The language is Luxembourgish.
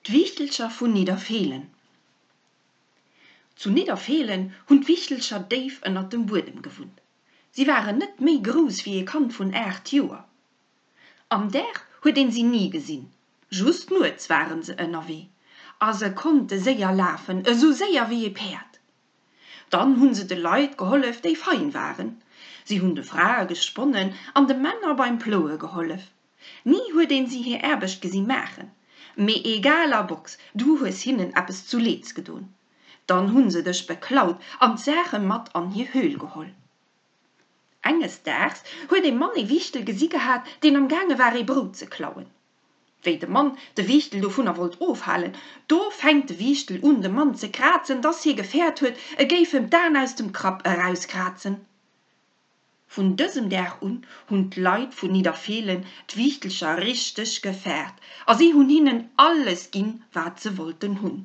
D'Wiichtelcher vun Nidderfeelen Zu Nidderfeelen hunn d'Wiichtelcher déif ënnert dem Buedem gewunnt. Si waren net méi grouss wéi ee Kand vun 8 Joer. Am Dag huet een si ni gesinn, just nuets waren se ënnerwee. A se konnte séier lafen, esou séier wéi ee Päerd. Dann hunn se de Leit gehollef, déi fein waren. Si hunn de Frae gesponnen an de Männer beim Ploue gehollef. Ni huet een si hir Aarbecht gesi maachen. Mee egal a Box, du hues hinnen eppes zu Leeds gedon. Dann hunn se dech beklaut an d'Saache mat an hir Höhl geholl. Enges Daags huet ee Mann ee Wiichtel gesi gehat, deen am gaange war ee Brout ze klauen. Wéi de Mann de Wiichtel dovunner wollt ofhalen, do fänkt de Wiichtel un de Mann ze krazen, dass hie gefäert huet, e géif em d'Aen aus dem Krapp erauskrazen. Vun dësem Dag un hunn d'Leit vun Nidderfeelen d'Wiichtelcher richteg gefaart a si hunn hinnen alles ginn, wat se wollten hunn.